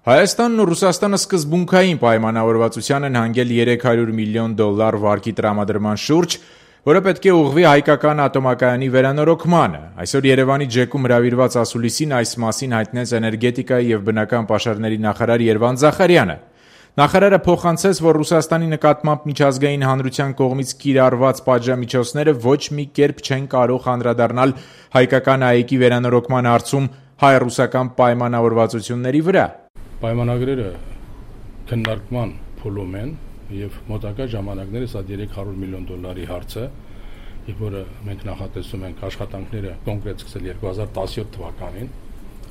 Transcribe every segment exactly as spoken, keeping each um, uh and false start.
Հայաստանն ու Ռուսաստանը սկզբունքային պայմանավորվածության են հանգել երեք հարյուր միլիոն դոլար վարկի տրամադրման շուրջ, որը պետք է ուղղվի հայկական ատոմակայանի վերանորոգմանը։ Այսօր Երևանի ջեկում հրավիրված ասուլիսին այս մասին հայտնեց էներգետիկայի եւ բնական պաշարների նախարար Երվանդ Զախարյանը։ Նախարարը փոխանցեց, որ Ռուսաստանի նկատմամբ միջազգային հանրության կողմից կիրառված պատժամիջոցները ոչ մի կերպ չեն կարող անդրադառնալ հայկական ԱԷԿ-ի վերանորոգման հարցում հայ-ռուսական պայմանավորվածությունների վրա։ Պայմանագրերը քննարկման փուլում են եւ մոտակա ժամանակներս այդ երեք հարյուր միլիոն դոլարի հարցը, որը մենք նախատեսում ենք աշխատանքները կոնկրետ սկսել երկու հազար տասնյոթ թվականին,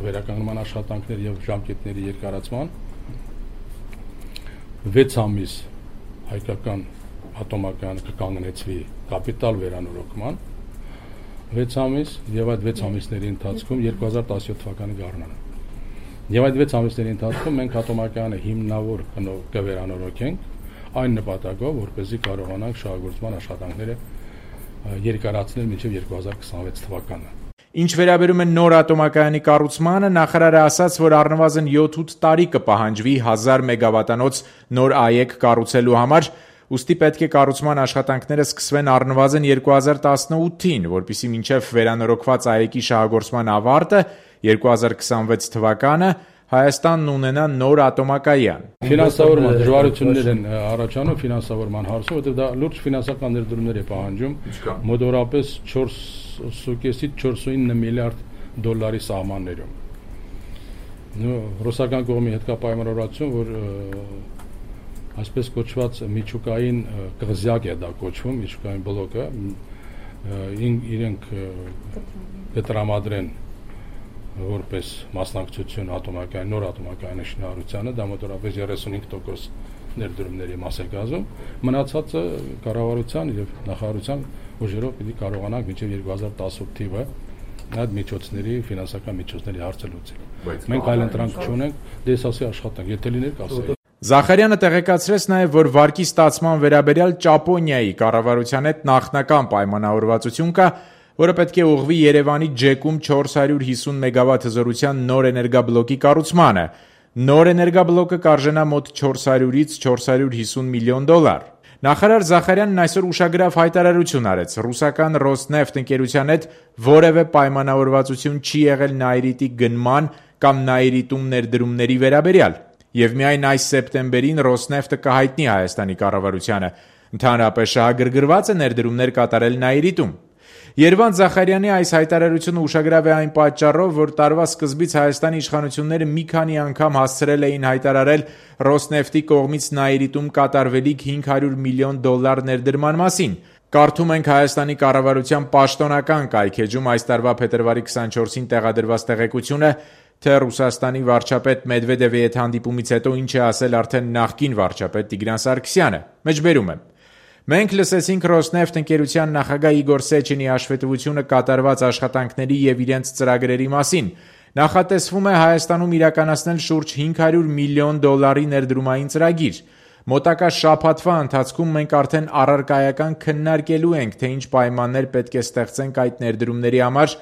վերականգնման աշխատանքներ եւ ժամկետների երկարացման վեց ամիս հայկական ատոմակայանը կկանգնեցվի կապիտալ վերանորոգման վեց ամիս եւ այդ վեց ամիսների ընթացքում երկու հազար տասնյոթ թվականի գարնանը եւ այդ վեց ամիսների ընթացքում մենք ատոմակայանը հիմնավոր կվերանորոգենք այն նպատակով, որպեսզի կարողանանք շահագործման աշխատանքները երկարացնել մինչև երկու հազար քսանվեց թվականը։ Ինչ վերաբերում է նոր ատոմակայանի կառուցմանը, նախարարը ասաց, որ առնվազն յոթ-ութ տարի կպահանջվի հազար մեգավատանոց նոր ԱԵԿ կառուցելու համար, ուստի պետք է կառուցման աշխատանքները սկսվեն առնվազն երկու հազար տասնութին, որպեսզի մինչև վերանորոգված ԱԵԿ-ի շահագործման ավարտը երկու հազար քսանվեց թվականը Հայաստանն ունենա նոր ատոմակայան։ Ֆինանսավորման դժվարություններ են առաջանում ֆինանսավորման հարցում, որտեղ դա լուրջ ֆինանսական ներդրումներ է պահանջում, մոտավորապես չորսից չորսունինը միլիարդ դոլարի սահմաններում։ Ռուսական կողմի հետ կա պայմանավորվածություն, որ այսպես կոչված միջուկային կղզյակ է դա կոչվում, միջուկային բլոկը, իրենք կտրամադրեն որպես մասնակցություն ատոմակայանի նոր ատոմակայանի շինարարությանը, դա մոտավորապես երեսունհինգ տոկոս ներդրումների մաս է կազմում, մնացածը կառավարության եւ նախարարության ուժերով պիտի կարողանանք մինչեւ երկու հազար տասնութ թիվը այդ միջոցների ֆինանսական միջոցների հարցը լուծել։ Մենք այլ ընտրանք չունենք, դեսասի աշխատանք, եթե լիներ կասեի։ Զախարյանը տեղեկացրեց նաև, որ վարկի ստացման վերաբերյալ Ճապոնիայի կառավարության հետ նախնական պայմանավորվածություն կա, որը պետք է ուղղվի Երևանի ջեկում չորս հարյուր հիսուն մեգավատ հզորության նոր էներգաբլոկի կառուցմանը։ Նոր էներգաբլոկը կարժենա մոտ չորս հարյուրից չորս հարյուր հիսուն միլիոն դոլար։ Նախարար Զախարյանն այսօր ուշագրավ հայտարարություն արեց. ռուսական Ռոսնեֆտ ընկերության հետ որևէ պայմանավորվածություն չի եղել Նաիրիտի գնման կամ Նաիրիտում ներդրումների վերաբերյալ։ Եվ միայն այս սեպտեմբերին Ռոսնեֆտը կհայտնի Հայաստանի կառավարությանը ընդհանրապես շահագրգռված է ներդրումներ կատարել Նաիրիտում։ Երվանդ Զախարյանի այս հայտարարությունը ուշագրավ է այն պատճառով, որ տարվա սկզբից Հայաստանի իշխանությունները մի քանի անգամ հասցրել էին հայտարարել Ռոսնեֆտի կողմից Նաիրիտում կատարվելիք հինգ հարյուր միլիոն դոլար ներդրման մասին։ Կարդում ենք Հայաստանի կառավարության պաշտոնական կայքեջում այս տարվա փետրվարի քսանչորսին տեղադրված տեղեկությունը, թե Ռուսաստանի վարչապետ Մեդվեդևի հետ հանդիպումից հետո ինչ է ասել արդեն նախկին վարչապետ Տիգրան Սարգսյանը։ Մեջբերում եմ. Մենք լսեցինք Ռոսնեֆտ ընկերության նախագահ Իգոր Սեչինի հաշվետվությունը կատարված աշխատանքների եւ իրենց ծրագրերի մասին։ Նախատեսվում է Հայաստանում իրականացնել շուրջ հինգ հարյուր միլիոն դոլարի ներդրումային ծրագիր։ Մոտակա շաբաթվա ընթացքում մենք արդեն առարկայական քննարկելու ենք, թե ինչ պայմաններ պետք է ստեղծենք այդ ներդրումների համար,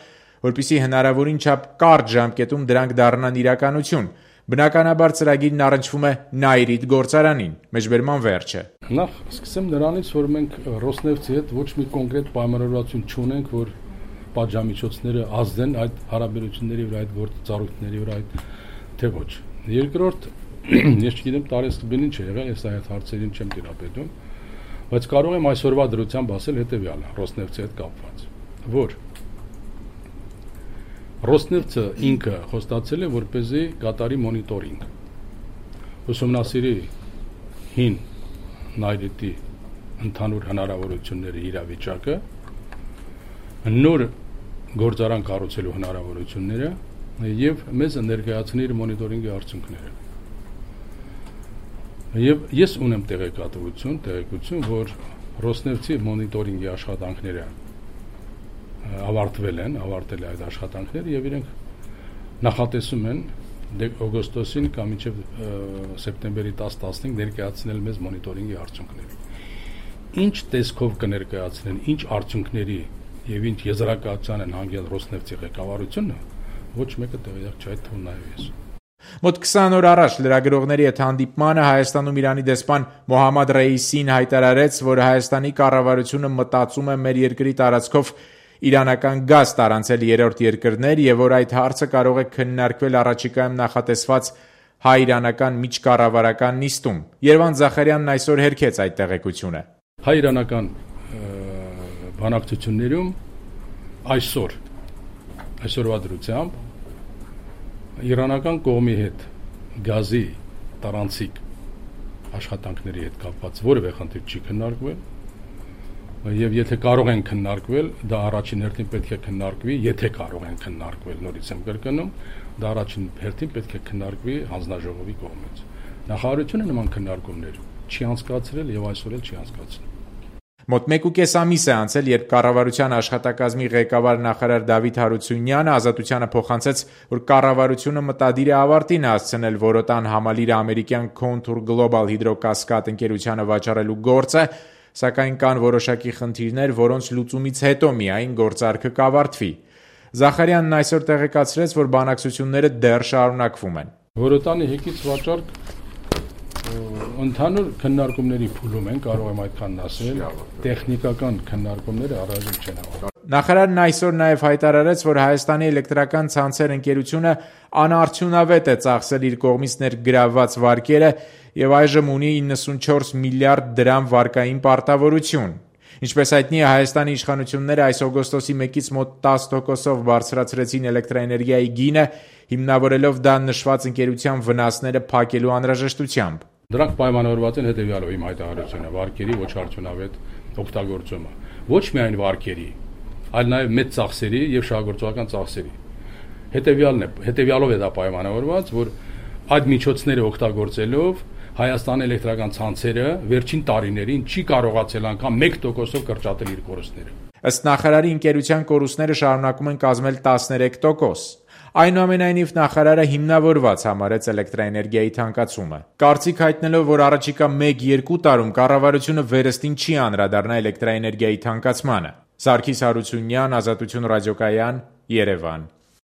որպեսզի հնարավորին չափ կարճ ժամկետում դրանք դառնան իրականություն։ Բնականաբար ծրագիրն առնչվում է Նաիրիտ գործարանին։ Մեջբերման վերջը։ Նախ սկսեմ նրանից, որ մենք Ռոսնեֆտի հետ ոչ մի կոնկրետ պայմանավորվածություն չունենք, որ պատժամիջոցները ազդեն այդ հարաբերությունների վրա, այդ գործառույթների վրա, այդ թե ոչ։ Երկրորդ, ես չգիտեմ տարեսկզբին ինչ է եղել, ես այդ հարցերին չեմ տիրապետում, բայց կարող եմ այսօրվա դրությամբ ասել հետեւյալը Ռոսնեֆտի հետ կապված, որ Ռոսնեֆտը ինքը խոստացել է, որպեսզի կատարի մոնիտորինգ, ուսումնասիրի հին Նաիրիտի ընդհանուր հնարավորությունների իրավիճակը, նոր գործարան կառուցելու հնարավորությունները եւ մեզ ներկայացնի իր մոնիտորինգի արդյունքները։ Եվ ես ունեմ տեղեկատվություն, տեղեկություն, որ Ռոսնեֆտի մոնիտորինգի աշխատանքները ավարտվել են, ավարտել է այդ աշխատանքները եւ իրենք նախատեսում են օգոստոսին կամ մինչեւ սեպտեմբերի տասը տասնհինգ ներկայացնել մեզ մոնիտորինգի արդյունքները։ Ինչ տեսքով կներկայացնեն, ինչ արդյունքների եւ ինչ եզրակացության են հանգել Ռոսնեֆտի ղեկավարությունը, ոչ մեկը տեղյակ չէ, այդ թվում նաեւ ես։ Մոտ քսան օր առաջ լրագրողների հետ հանդիպմանը Հայաստանում Իրանի դեսպան Մոհամմադ Ռեյիսին հայտարարեց, որ Հայաստանի կառավարությունը մտածում է մեր երկրի տարածքով իրանական գազ տարանցել երրորդ երկրներ եւ որ այդ հարցը կարող է քննարկվել առաջիկայում նախատեսված հայ-իրանական միջկառավարական նիստում։ Երվանդ Զախարյանն այսօր հերքեց այդ տեղեկությունը։ Հայ-իրանական բանակցություններում այսօր այսօրվա դրությամբ իրանական կողմի հետ գազի տարանցիկ աշխատանքների հետ կապված որևէ խնդիր չի քննարկվել եւ եթե կարող են քննարկվել, դա առաջին հերթին պետք է քննարկվի, եթե կարող են քննարկվել, նորից եմ կրկնում, դա առաջին հերթին պետք է քննարկվի հանձնաժողովի կողմից։ Նախարարությունը նման քննարկումներ չի անցկացրել եւ այսօր էլ չի անցկացրել։ Մոտ մեկ ու կես ամիս է անցել, երբ կառավարության աշխատակազմի ղեկավար նախարար Դավիթ Հարությունյանը Ազատությանը փոխանցեց, որ կառավարությունը մտադիր է ավարտին հասցնել Որոտան համալիրը ամերիկյան Contour Global Hydrocascade ընկերությանը վաճառելու գործը, սակայն կան որոշակի խնդիրներ, որոնց լուծումից հետո միայն գործարքը կավարտվի։ Զախարյանն այսօր տեղեկացրեց, որ բանակցությունները դեռ շարունակվում են։ Որոտանի հեկից վաճառք ընդհանուր քննարկումների փուլում են, կարող եմ այդքան ասել, տեխնիկական քննարկումները առայժմ չեն ավարտվել։ Նախարարն այսօր նաև հայտարարեց, որ Հայաստանի էլեկտրական ցանցեր ընկերությունը անարդյունավետ է ծախսել իր կողմից ներգրավված վարկերը եւ այժմ ունի իննսունչորս միլիարդ դրամ վարկային պարտավորություն։ Ինչպես հայտնի է, Հայաստանի իշխանությունները այս օգոստոսի մեկից մոտ տասը տոկոսով բարձրացրեցին էլեկտրաէներգիայի գինը, հիմնավորելով դա նշված ընկերության վնասները փակելու անհրաժեշտությամբ։ Դրանք պայմանավորված են հետևյալով իմ հայտարարությունը՝ վարկերի ոչ արդյունավետ օգտագործումը։ Ոչ միայն վարկերի, այլ նաև մեծ ծախսերի եւ շահագործական ծախսերի։ Հետևյալն է, հետևյալով է դա պայմանավորված, որ այդ միջոցները օգտագործելով Հայաստանի էլեկտրական ցանցերը վերջին տարիներին չի կարողացել անգամ մեկ տոկոսով կրճատել իր կորուստները։ Ըստ նախարարի, ընկերության կորուստները շարունակում են կազմել տասներեք տոկոս։ Այնուամենայնիվ նախարարը հիմնավորված համարեց էլեկտրաէներգիայի թանկացումը։ Կարծիք հայտնելով, որ առաջիկա մեկ-երկու տարում կառավարությունը վերստին չի անդրադառնա էլեկտրաէներգիայի թանկացմանը։ Սարգիս Հարությունյան, Ազատություն ռադիոկայան, Երևան։